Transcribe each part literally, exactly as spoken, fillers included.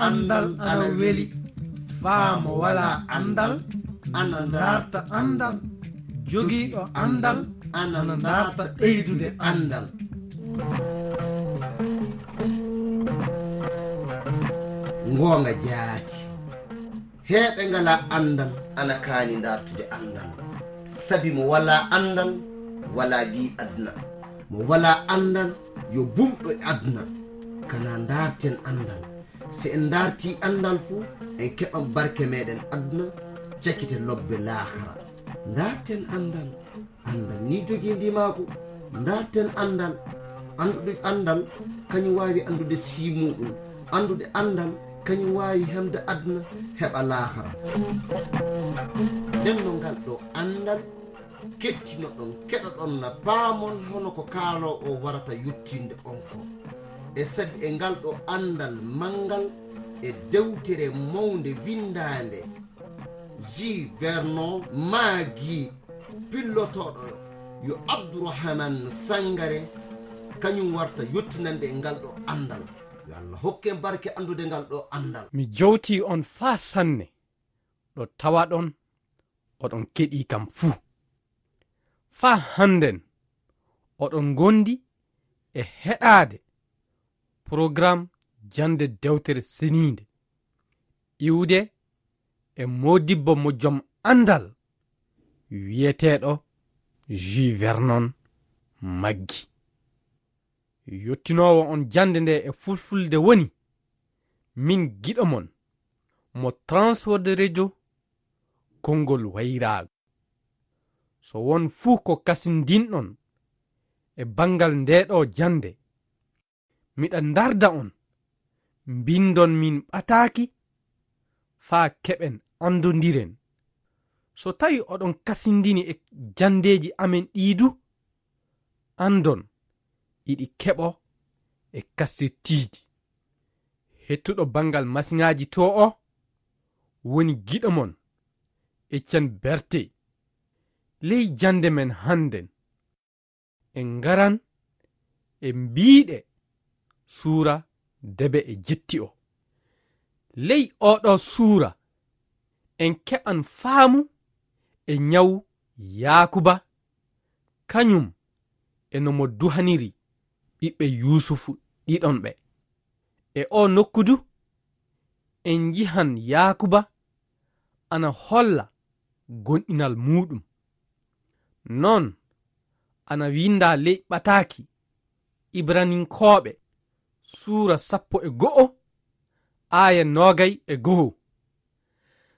Anndal ana weli. Faa mo walaa anndal ana ndaarta anndal. Jogiiɗo anndal ana ndaarta ɓeydude anndal. Ngoonga jaati. Heɓe ngalaa anndal ana kaani ndaartude anndal. Sabi mo walaa anndal, walaa gii aduna. Mo walaa anndal, yo bumɗo e aduna. Kana ndaarten anndal. So en ndaartii anndal fuu, en keɓan barke meɗen aduna, cakite lobbe laakara. Ndaarten anndal. Anndal ni jogii ndimaagu. Ndaarten anndal. Anndude anndal, kañum waawi anndude sii muuɗum. Anndude anndal, kañum waawi hemde aduna, heɓa laakara. Nden no ngal ɗo anndal kettinoɗon, keɗoɗon na paamon hono ko kaaloo o warata yottinde on ko. E sabi e ngal ɗo anndal manngal e dewtere mawnde winndaande, Jules Vernon maagi pillotooɗo yo Abdourahmane Sangaré, kañum warta yottinande e ngal ɗo anndal. Yo Allah hokke en barke anndude ngal ɗo anndal. Mi jowtii on faa sanne, ɗo tawaɗon oɗon keɗii kam fuu. Faa hannden, oɗon ngondi e heɗaade porogaram jannde dewtere seniinde, iwde e moodibbo mo jom anndal wiyeteeɗo Jules Vernon maggi. Yottinoowo on jannde nde e fulfulde woni min giɗo mon, mo Transworld Radio konngol wayraago. So won fuu ko kasindinɗon e banngal nde ɗo jannde, miɗa ndarda on, mbinndon min ɓataaki faa keɓen anndondiren. So tawi oɗon kasindini e janndeeji amen ɗii du, anndon iɗi keɓo e kassirtiiji. Hettuɗo banngal masiŋaaji to o woni giɗo mon, Etienne Berthet. Ley jannde men hannden, en ngaran e mbiiɗe suura debe e jetti o. Ley oɗo suura, en keɓan faamu e ñawu Yaakuba, kañum e no mo duhaniri ɓiɓɓe Yuusufu ɗiɗon ɓe. E o nokku du, en njihan Yaakuba ana holla gonɗinal muuɗum. Non, ana winnda ley ɓataaki Ibraninkooɓe, suura sappo e go'o, aaya noogay e go'o.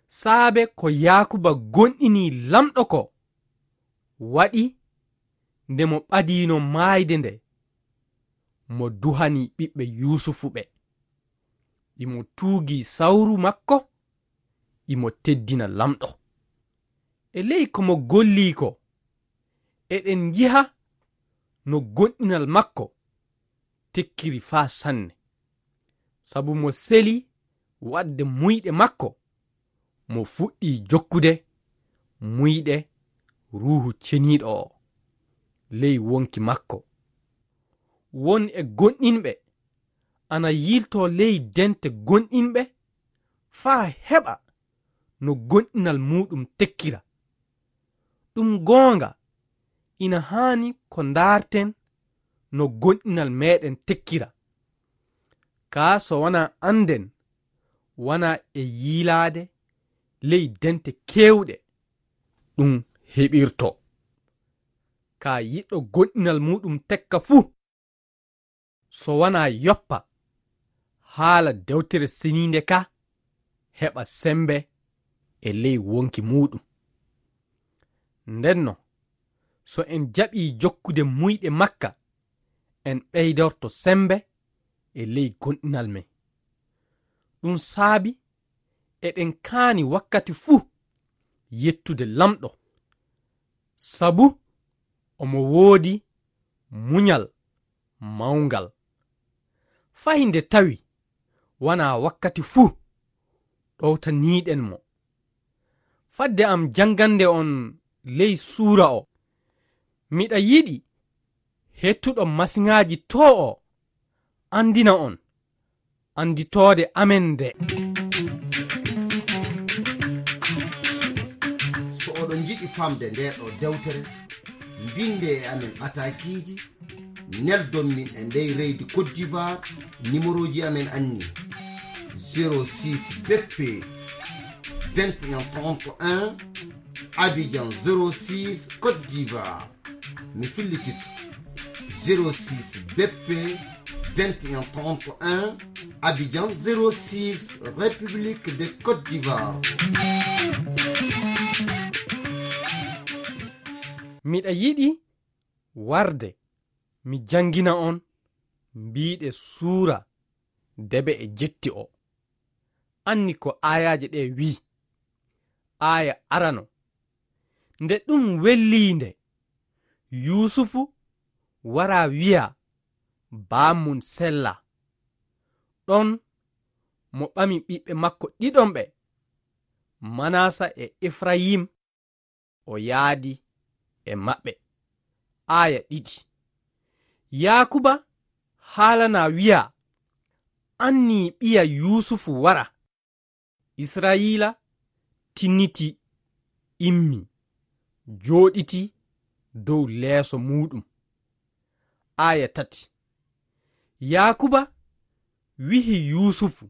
Saabe ko Yaakuba gonɗini Lamɗo ko, waɗi nde mo ɓadiino maayde nde, mo duhani ɓiɓɓe Yuusufu ɓe. Imo tuugi sawru makko, imo teddina Lamɗo. E ley ko mo gollii ko, eɗen njiha no gonɗinal makko tekkiri faa sanne. Sabu mo seli waɗde muyɗe makko, mo fuɗɗii jokkude muyɗe Ruuhu Ceniiɗo o ley wonki makko. Won e gonɗinɓe ana yiiltoo ley dente gonɗinɓe faa heɓa no gonɗinal muuɗum tekkira. Ɗum goonga, ina haani ko ndaarten no gonɗinal meeɗen tekkira. Kaa so wanaa annden, wanaa e yiilaade ley dente keewɗe ɗum heɓirtoo. Kaa yiɗɗo gonɗinal muuɗum tekka fuu, so wanaa yoppa haala dewtere seniinde ka, heɓa semmbe e ley wonki muuɗum. Ndenno, so en jaɓii jokkude muyɗe makka, en ɓeydorto semmbe e ley gonɗinal men. Ɗum saabi eɗen kaani wakkati fuu yettude Lamɗo, sabu omo woodi muñal mawngal. Fay nde tawi wanaa wakkati fuu ɗowtaniiɗen mo. Fadde am janngande on ley suura o, miɗa yiɗi hettuɗo masiŋaaji to o anndina on annditoode amen nde. So oɗon njiɗi famde nde ɗo dewtere, mbinde e amen ɓatakiiji, neldon min e ndey leydi Côte d'Ivoire, numéroji amen anni: zéro six B P vingt et un trente et un, Abidjan zéro six, Côte d'Ivoire. Mi fillititto: zéro six B P vingt et un trente et un, Abidjan zéro six, République de Côte d'Ivoire. Miɗa yiɗi warde mi janngina on mbiiɗe suura debe e jetti o. Anni ko aayaaje ɗe wi'i. Aaya arano: Nde ɗum wellii nde, Yuusufu wara wi'a baamun sella. Ɗon mo ɓami ɓiɓɓe makko ɗiɗon ɓe, Manasa e Efrayim, o yaadi e maɓɓe. Aaya ɗiɗi. Yaakuba haalana wi'a, anni ɓiya Yuusufu wara. Israyiila tinniti, immi, jooɗiti dow leeso muuɗum. Aaya tati. Yaakuba wi'i Yuusufu,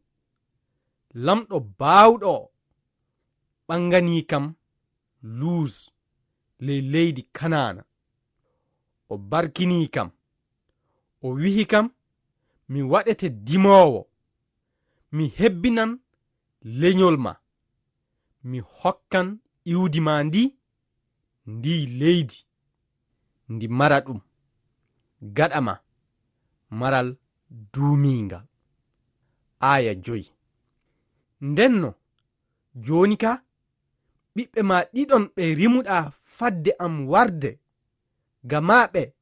Lamɗo baawɗo o ɓanganii kam Luuz ley leydi Kanaana. O barkinii kam. O wi'i kam, Mi waɗete dimoowo. Mi hebbinan lenyol ma. Mi hokkan iwdi ma ndi, ndi leydi, ndi mara ɗum, gaɗa ma maral duumiingal. Aaya joy. Ndenno, jooni ka, ɓiɓɓe ma ɗiɗon ɓe rimuɗaa fadde am warde, gama ɓe,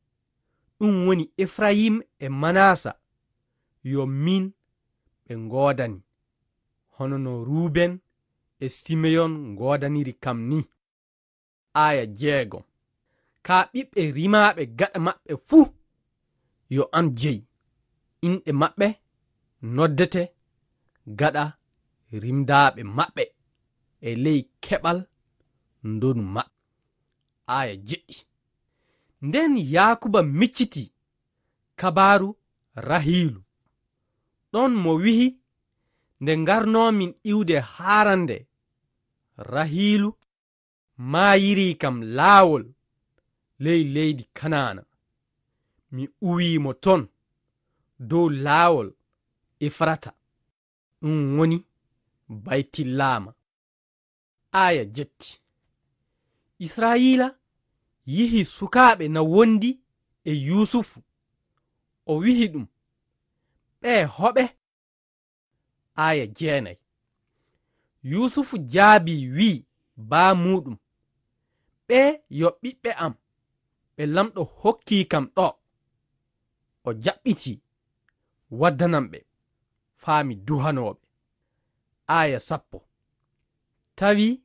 ɗum woni Efrayim e Manasa, yo min ɓe ngoodani, hono no Ruben e Simeyon ngoodaniri kam ni. Aaya jeegom. Kaa ɓiɓɓe rimaaɓe gaɗa maɓɓe fuu, yo an jeyi. Inɗe maɓɓe noddete gaɗa rimdaaɓe maɓɓe e ley keɓal ndonu maɓɓe. Aaya jeɗɗi. Nden Yaakuba micciti kabaaru Rahiilu. Ɗon mo wi'i, Nde ngarnoomin iwde haarande, Rahiilu maayirii kam laawol ley leydi Kanaana. Mi uwii mo ton dow laawol Efrata, ɗum woni Baytillaama. Aaya jetti. Israayiila yi'i sukaaɓe na wondi e Yuusufu. O wi'i ɗum, Ɓee hoɓe? Aaya jeenay. Yuusufu jaabii, wi'i baa muuɗum, Ɓee yo ɓiɓɓe am, ɓe Laamɗo hokkii kam ɗo. O jaɓɓitii waddanan ɓe faa mi duhanoo ɓe. Aaya sappo. Tawi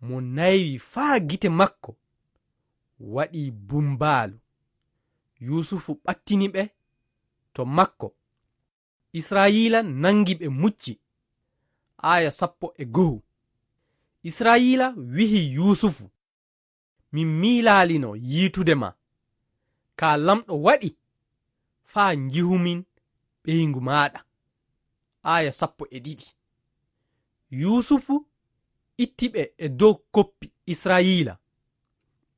mo naywi faa gite makko waɗii bumbaalu. Yuusufu ɓattini ɓe to makko. Israayiila nangi ɓe mucci. Aaya sappo e go'o. Israayiila wi'i Yuusufu, Min miilaalino yiitude ma, kaa Laamɗo waɗi faa njihumin ɓeyngu maaɗa. Aaya sappo e ɗiɗi. Yuusufu itti ɓe e dow koppi Israayiila,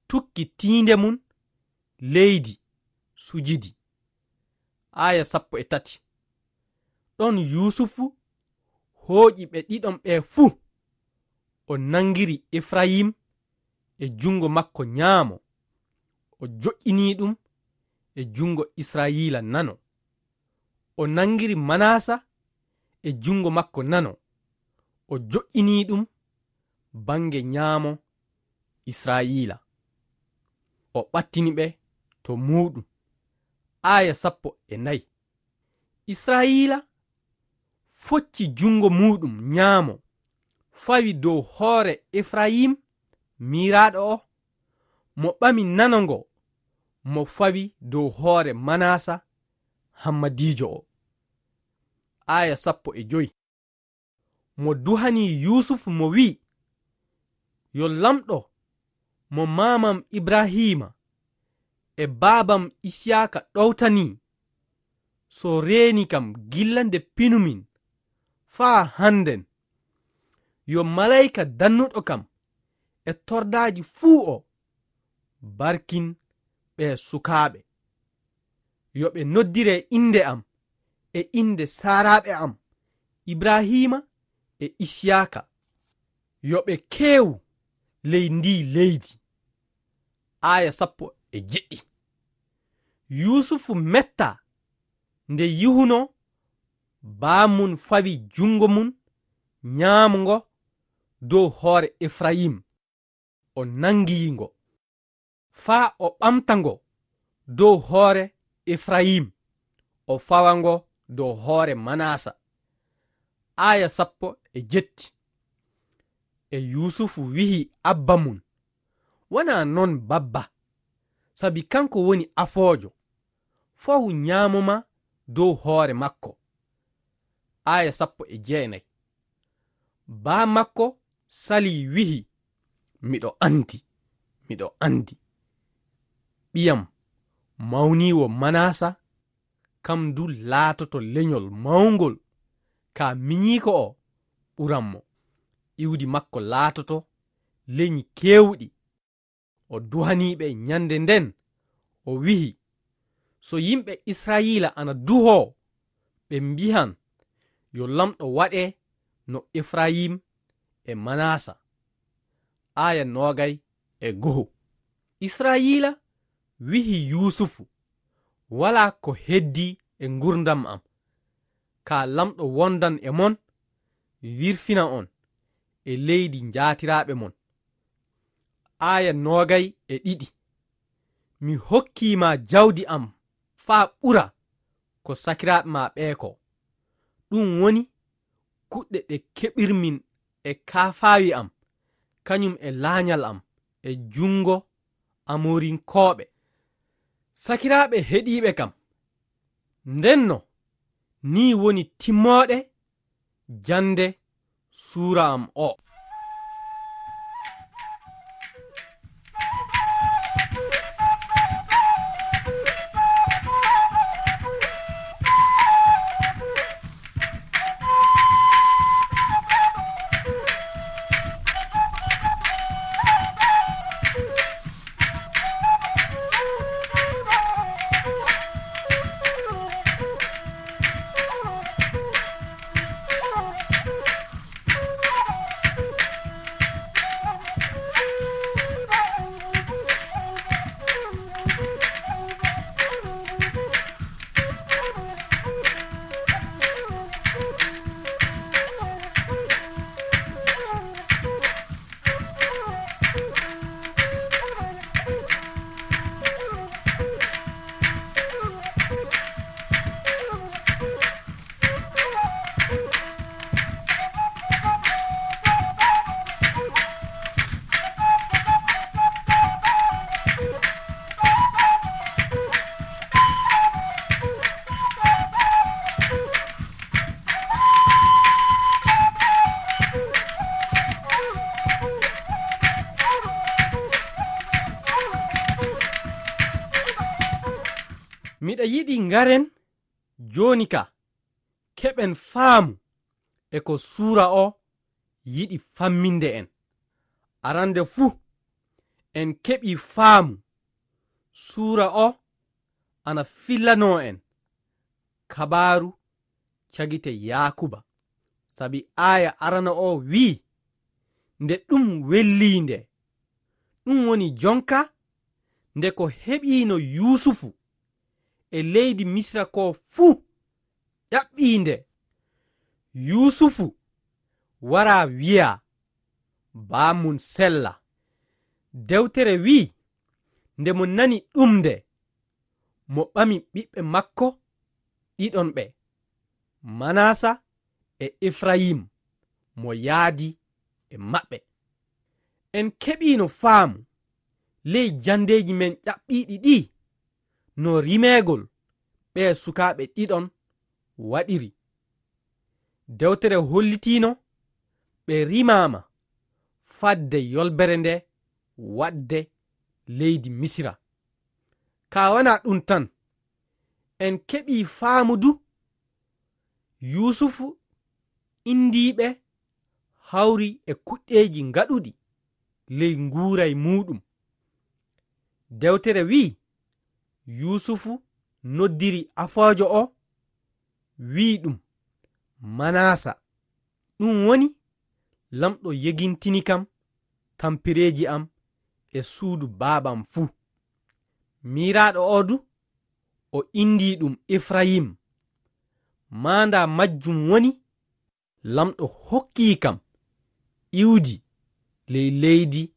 tukki tiinde mum leydi, sujidi. Aaya sappo e tati. Ɗon Yuusufu hooƴi ɓe ɗiɗon ɓe fuu, o nangiri Efrayim e junngo makko nyaamo, o joƴƴini ɗum e junngo Israayiila nano. O nangiri Manasa e junngo makko nano, o joƴƴini ɗum bannge nyaamo Israayiila. O ɓattini ɓe to muuɗum. Aaya sappo e nayi. Israayiila focci junngo muuɗum nyaamo, fawi dow hoore Efrayim, miiraaɗo o, mo ɓami nano ngo, mo fawi dow hoore Manasa, hammadiijo o. Aaya sappo e joy. Mo duhani Yuusufu mo wi'i, "Yo Laamɗo mo maamam Ibrahiima e baabam Isiyaaka ɗowtanii, so reeni kam gilla nde pinumin faa hannden, yo malayka dannuɗo kam e tordaaji fuu o barkin ɓee sukaaɓe. Yo ɓe noddire innde am e innde saaraaɓe am, Ibrahiima e Isiyaaka. Yo ɓe keewu ley ndii leydi." Aaya sappo e jeɗɗi. Yuusufu mettaa nde yihunoo, baamun fawi junngo mun nyaamo ngo dow hoore Efrayim, o nanngi ngo, faa o ɓamta ngo dow hoore Efrayim, o fawa ngo dow hoore Manasa. Aaya sappo e jetti. E Yuusufu wi'i abba mun, "Wanaa non, babba, sabi kanko woni afoojo, fawu nyaamo ma dow hoore makko." Aaya sappo e jeenay. Baa makko salii wi'i, "Miɗo anndi, miɗo anndi. Ɓiyam mawniiwo Manasa, kam du laatoto lenyol mawngol, kaa minyiiko o ɓuran mo. Iwdi makko laatoto lenyi keewɗi." O duhanii ɓe nyannde nden, o wi'i, "So yimɓe Israayiila ana duhoo, ɓe mbi'an, 'Yo Laamɗo waɗe no Efrayim e Manasa.'" Aaya noogay e go'o. Israayiila wi'i Yuusufu, "Walaa ko heddii e ngurndan am, kaa Laamɗo wondan e mon, wirfina on e leydi njaatiraaɓe mon." Aaya noogay e ɗiɗi. "Mi hokkii ma jawdi am faa ɓura ko sakiraaɓe maa ɓee ko. Ɗum woni kuɗɗe ɗe keɓirmin e kaafaawi am, kañum e laañal am e junngo Amorinkooɓe, sakiraaɓe heɗiiɓe kam." Ndenno, nii woni timmooɗe jannde suura am o. Miɗa yiɗi ngaren jooni ka, keɓen faamu e ko suura o yiɗi famminde en. Arande fuu, en keɓii faamu suura o ana fillanoo en kabaaru cagite Yaakuba. Sabi aaya arana o wi'i, "Nde ɗum wellii nde, ɗum woni jonka nde ko heɓiino Yuusufu e leydi Misira ko fuu ƴaɓɓii nde." Yuusufu waraa wi'aa, baa mun sella. Dewtere wi'i, nde mo nani ɗum nde, mo ɓami ɓiɓɓe makko ɗiɗon ɓe, Manasa e Efrayim, mo yaadi e maɓɓe. En keɓiino faamu ley janndeeji men ƴaɓɓiiɗi ɗi, no rimeegol ɓee sukaaɓe ɗiɗon waɗiri. Dewtere hollitiino ɓe rimaama fadde yolbere nde waɗde leydi Misira. Ka wanaa ɗum tan, en keɓii faamu du Yuusufu indii ɓe hawri e kuɗɗeeji ngaɗuɗi ley nguuray muuɗum. Dewtere wi'i, Yuusufu noddiri afoojo o, wi'i ɗum, Manaasa. Ɗum woni, Lamɗo yegintini kam tampireeji am e suudu baabam fuu. Miiraaɗo o du, o inndii ɗum Efrayim. Maandaa majjum woni, Lamɗo hokkii kam iwdi ley leydi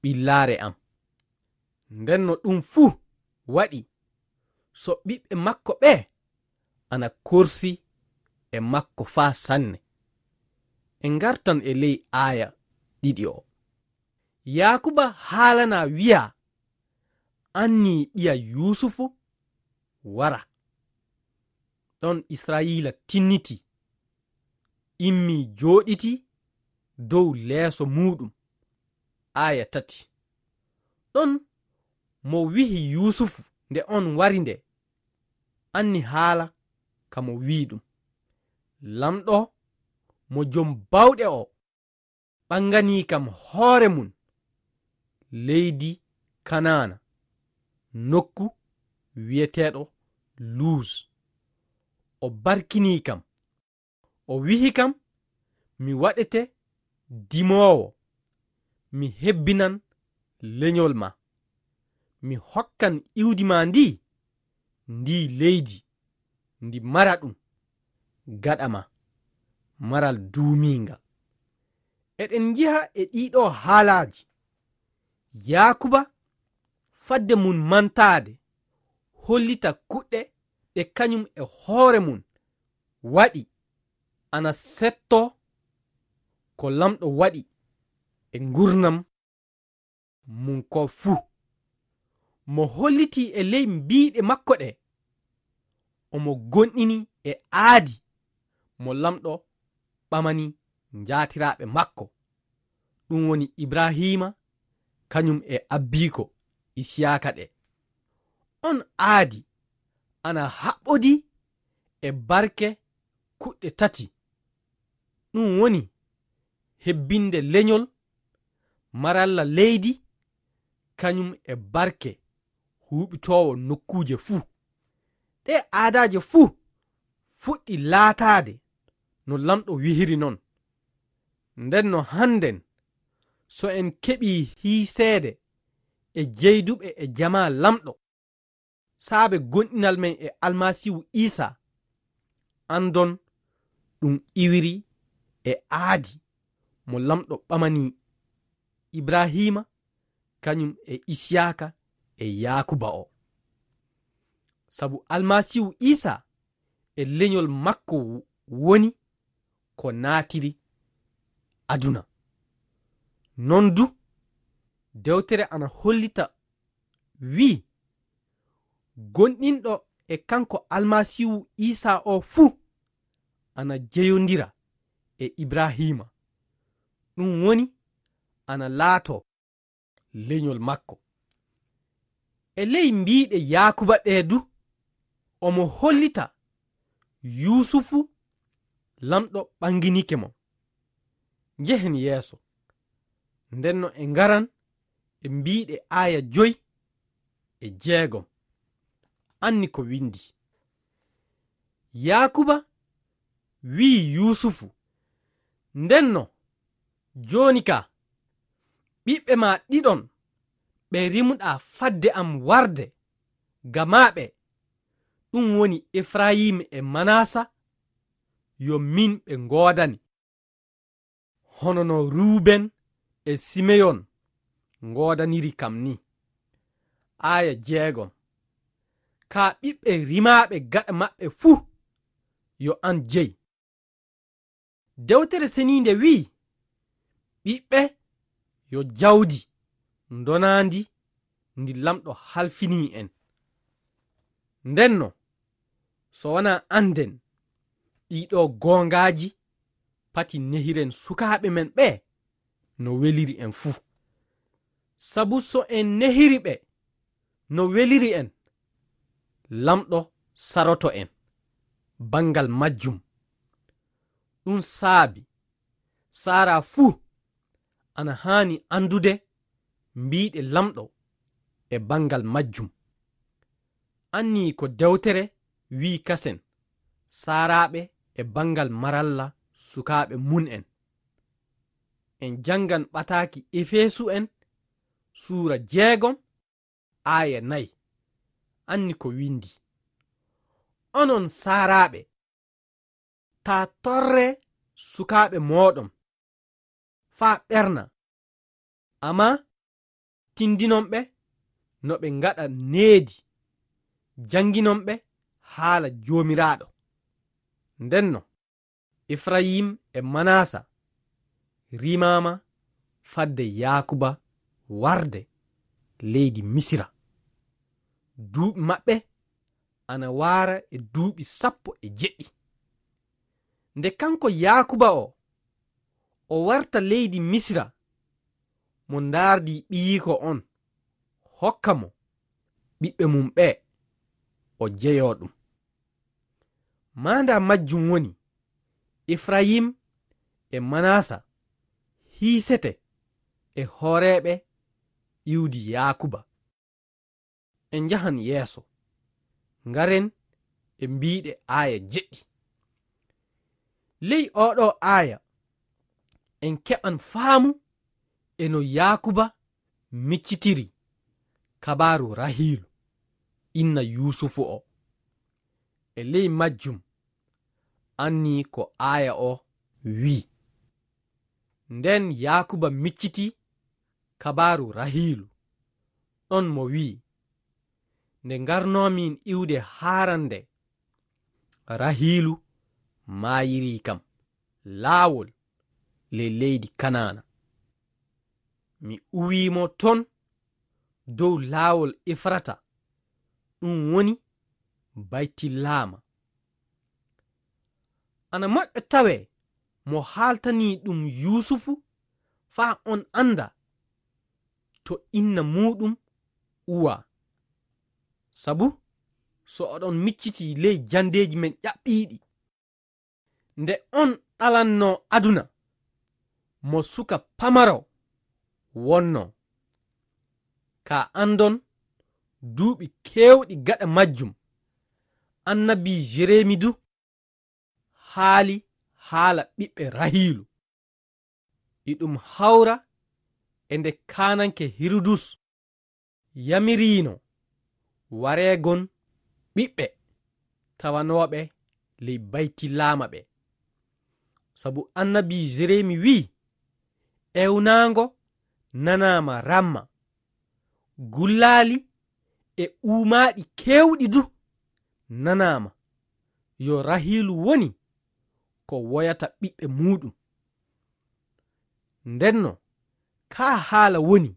ɓillaare am. Ndenno ɗum fuu waɗi so ɓiɓɓe makko ɓe ana korsi e makko faa sanne. En ngartan e ley aaya ɗiɗi o. Yaakuba haalana wi'a, annii ɓiya Yuusufu wara. Ɗon Israa'iila tinniti, immii jooɗiti dow leeso muuɗum. Aaya tati. Ɗon mo wi'i Yuusufu nde on wari nde, anni haala ka mo wi'i ɗum. Lamɗo mo jom bawɗe o ɓanganii kam hoore mum leydi Kanaana, nokku wi'eteeɗo Luuz. O barkinii kam. O wi'i kam, mi waɗete dimoowo, mi hebbinan lenyol ma. Mi hokkan iwdi ma ndi, ndi leydi, ndi mara ɗum, gaɗa ma, maral duumiingal. Eɗen njiha e ɗiɗo haalaaji, Yaakuba, fadde mum mantaade, hollita kuɗɗe ɗe kañum e hoore mum waɗi, ana setto ko Lamɗo waɗi e ngurnam mum ko fuu. Mo hollitii e ley mbiiɗe makko ɗe, omo gonɗini e aadi mo Lamɗo ɓamani njaatiraaɓe makko, ɗum woni Ibrahiima, kañum e abbiiko Isiyaaka ɗe. On aadi ana haɓɓodi e barke kuɗɗe tati, ɗum woni hebbinde leñol maralla leydi, kañum e barke huuɓitoowo nokkuuje fuu. Ɗee aadaaje fuu fuɗɗi laataade no Lamɗo wihiri non. Nden no hannden, so en keɓii hiiseede e jeyduɓe e jamaa Lamɗo, saabe gonɗinal men e Almasiihu Iisaa, anndon ɗum iwiri e aadi mo Lamɗo ɓamani Ibrahiima, kañum e Isiyaaka e Yaakuba o. Sabu Almasiihu Iisaa e leñol makko woni ko naatiri aduna. Non du, dewtere ana hollita wi'i, gonɗinɗo e kanko Almasiihu Iisaa o fuu ana jeyondira e Ibrahiima, ɗum woni ana laato leñol makko. E ley mbiiɗe Yaakuba ɗee du, omo hollita Yuusufu Lamɗo ɓanginike mo. Njehen yeeso. Ndenno e ngaran e mbiiɗe aaya joy e jeegom. Anni ko windi. Yaakuba wi'i Yuusufu, ndenno, jooni ka, ɓiɓɓe ma ɗiɗon ɓe rimuɗaa fadde am warde, gama ɓe, ɗum woni Efrayim e Manasa, yo min ɓe ngoodani. Hono no Ruuben e Simeyon ngoodaniri kam ni. Aaya jeegom. Kaa ɓiɓɓe rimaaɓe gaɗa maɓɓe fuu, yo an jey. Dewtere Seniinde wi'i, ɓiɓɓe yo jawdi ndonaandi ndi Lamɗo halfinii en. Ndenno, so wanaa annden ɗiiɗoo goongaaji pati nehiren sukaaɓe men ɓe no weliri en fuu. Sabu so en nehiri ɓe no weliri en, Laamɗo saroto en banngal majjum. Ɗum saabi saaraa fuu ana haani anndude mbiiɗe Laamɗo e banngal majjum. Annii ko dewtere wi'i kasen saaraaɓe e banngal maralla sukaaɓe mum en. En janngan ɓataaki Efeesu'en suura jeegom, aaya nayi. Anni ko winndi: "Onon saaraaɓe, taa torree sukaaɓe mooɗon faa ɓerna, ammaa tindinon ɓe no ɓe ngaɗa needi, jannginon ɓe haala Joomiraaɗo." Ndenno, Efrayim e Manasa rimaama fadde Yaakuba warde leydi Misira. Duuɓi maɓɓe ana waara e duuɓi sappo e jeɗɗi. Nde kanko Yaakuba o, o warta leydi Misira, mo ndaardii ɓiyiiko on, hokka mo ɓiɓɓe mum ɓe, o jeyoo ɗum. Maandaa majjum woni, Efrayim e Manasa hiisete e hooreeɓe iwdi Yaakuba. En njahan yeeso, ngaren e mbiiɗe aaya jeɗɗi. Ley ooɗoo aaya, en keɓan faamu e no Yaakuba miccitiri kabaaru Rahiilu, inna Yuusufu o. E ley majjum, annii ko aaya o wi'i: "Nden Yaakuba micciti kabaaru Rahiilu, ɗon mo wi'i: 'Nde ngarnoomin iwde Haaran nde, Rahiilu maayirii kam laawol ley leydi Kanaana. Mi uwii mo ton dow laawol Efrata, ɗum woni Baytilaama.'" Ana moƴƴa tawee mo haaltanii ɗum Yuusufu faa on annda to inna muuɗum uwaa. Sabu so oɗon miccitii ley janndeeji men ƴaɓɓiiɗi, nde on ɗalannoo aduna, mo suka pamaro wonnoo. Kaa anndon, duuɓi keewɗi gaɗa majjum, annabi Jeremi du haali haala ɓiɓɓe Rahiilu. Iɗum hawra e nde kaananke Hirudus yamiriino wareegon ɓiɓɓe tawanooɓe ley Baytilaama ɓe. Sabu annabi Jeremi wi'i: "Ewnaango nanaama Ramma, gullaali e uumaaɗi keewɗi du nanaama, yo Rahiilu woni ko woyata ɓiɓɓe muuɗum." Ndenno, kaa haala woni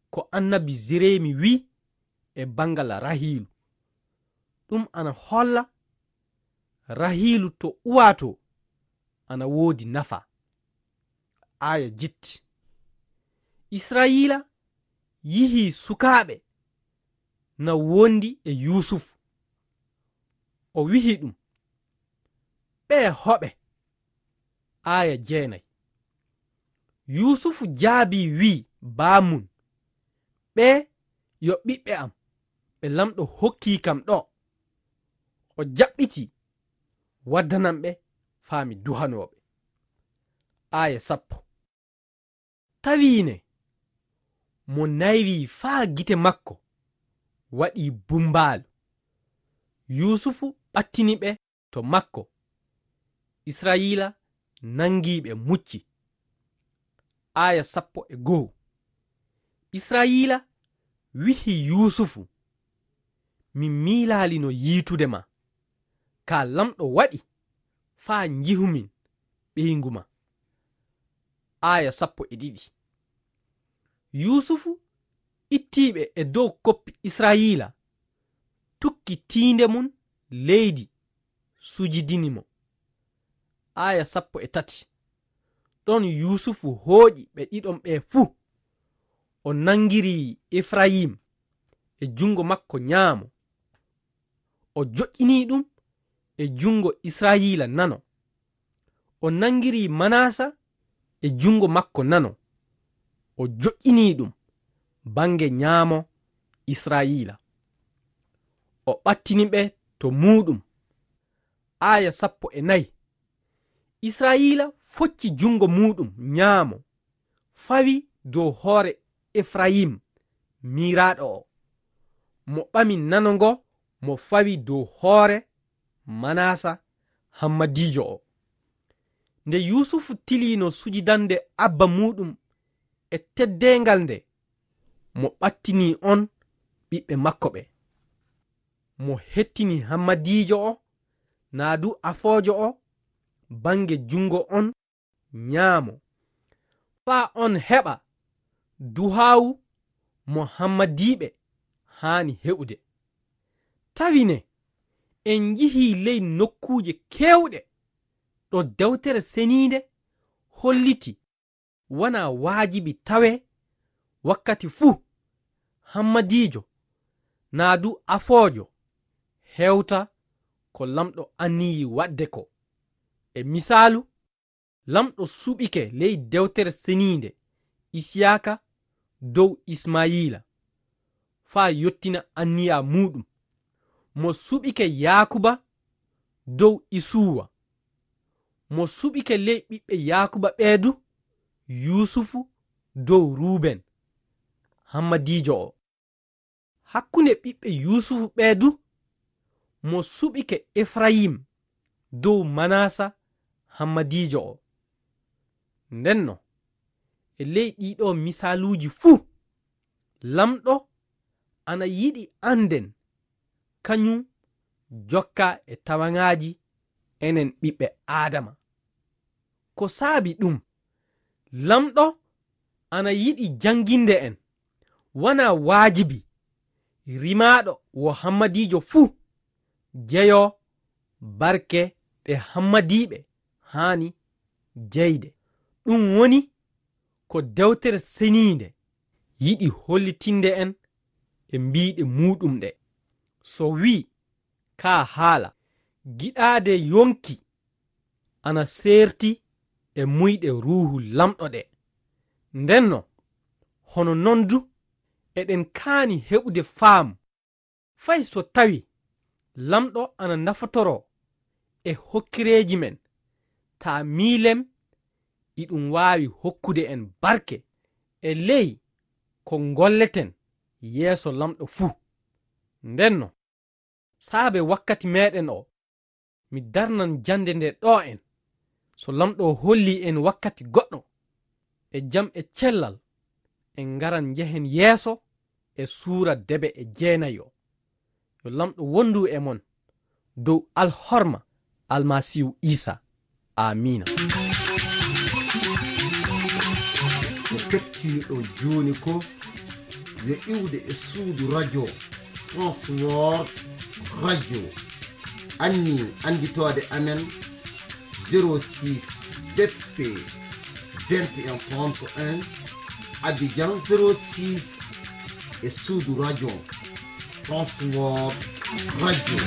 ko annabi Jeremi wi'i e banngal Rahiilu. Ɗum ana holla Rahiilu to uwaa to ana woodi nafa. Aaya jetti. Israyiila yihi sukaaɓe na wondi e Yuusufu. O wihi ɗum: "Ɓee hoɓe?" Aaya jeenay. Yuusufu jaabii wi'i baamum: "Ɓee yo ɓiɓɓe am ɓe Laamɗo hokkii kam ɗo." O jaɓɓitii waddanan ɓe faa mi duhanoo ɓe. Aaya sappo. Tawi ne mo naywi faa gite makko waɗi bumbaalu. Yuusufu ɓattini ɓe to makko. Israyiila nangi ɓe mucci. Aaya sappo e go'o. Israyiila wihi Yuusufu: "Mi miilaalino yiitude ma, kaa Laamɗo waɗi faa njihumin ɓeyngu ma." Aaya sappo e ɗiɗi. Yuusufu ittii ɓe e dow koppi Israyiila, tukki tiinde mum leydi, sujidini mo. Aaya sappo e tati. Ɗon Yuusufu hooƴi ɓe ɗiɗon ɓe fuu. O nangiri Efrayim e junngo makko nyaamo, o joƴƴini ɗum e junngo Israyiila nano. O nangiri Manasa e junngo makko nano, o joƴƴini ɗum bannge nyaamo Israyiila. O ɓattini ɓe to muuɗum. Aaya sappo e nayi. Israyiila focci junngo muuɗum nyaamo, fawi dow hoore Efrayim, miiraaɗo o. Mo ɓami nano ngo, mo fawi dow hoore Manasa, hammadiijo o. Nde Yuusufu tiliino sujidande abba muuɗum e teddeengal nde, mo ɓattini on ɓiɓɓe makko ɓe. Mo hettini hammadiijo o, naa du afoojo o, bannge junngo on nyaamo, faa on heɓa duhaawu mo hammadiiɓe haani heɓude. Tawi ne, en njihii ley nokkuuje keewɗe ɗo Dewtere Seniinde holliti wanaa waajibi tawee wakkati fuu hammadiijo naa du afoojo hewta ko Laamɗo anniyii waɗde ko. E misaalu, Laamɗo suɓike ley Dewtere Seniinde Isiyaaka dow Ismayiila, faa yottina anniya muuɗum. Mo suɓike Yaakuba dow Isuwa. Mo suɓike ley ɓiɓɓe Yaakuba ɓee du, Yuusufu dow Ruuben, hammadiijo o. Hakkunde ɓiɓɓe Yuusufu ɓee du, mo suɓike Efrayim dow Manasa, hammadiijo o. Ndenno, e ley ɗii ɗoo misaaluuji fuu, Laamɗo ana yiɗi annden kañum jokka e tawaŋaaji enen ɓiɓɓe Aadama. Ko saabi ɗum, Laamɗo ana yiɗi jannginde en, wanaa waajibi rimaaɗo wo hammadiijo fuu jeyoo barke ɗe hammadiiɓe haani jeyde. Ɗum woni ko Dewtere Seniinde yiɗi hollitinde en e mbiiɗe muuɗum ɗe. So wii, kaa haala, giɗaade yonki ana seerti e muyɗe Ruuhu Laamɗo ɗe. Ndenno, hono non du, eɗen kaani heɓude faamu, fay so tawi Laamɗo ana nafotoroo e hokkireeji men, taa miilem iɗum waawi hokkude en barke e ley ko ngolleten yeeso Laamɗo fuu. Ndenno, saabe wakkati meeɗen o, mi darnan jannde nde ɗo en. So Laamɗo hollii en wakkati goɗɗo, e jam e cellal, en ngaran njehen yeeso e suura debe e jeenayo. Yo Laamɗo wondu e mon dow alhorma Almasiihu Iisaa. Aamiina. Ko kettiniɗon jooni ko yo iwde e suudu radio Transworld Radio. Anniye annditoode amen zéro six B P vingt et un trente et un, Abidjan zéro six, e suudu radio Transworld Radio.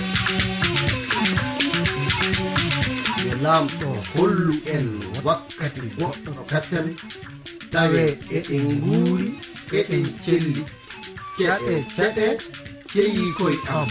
Yo Laamɗo hollu en wakkati goɗɗo kasen, tawe eɗen nguuri, eɗen celli. Ceɗe, ceɗe, ceyi koy am.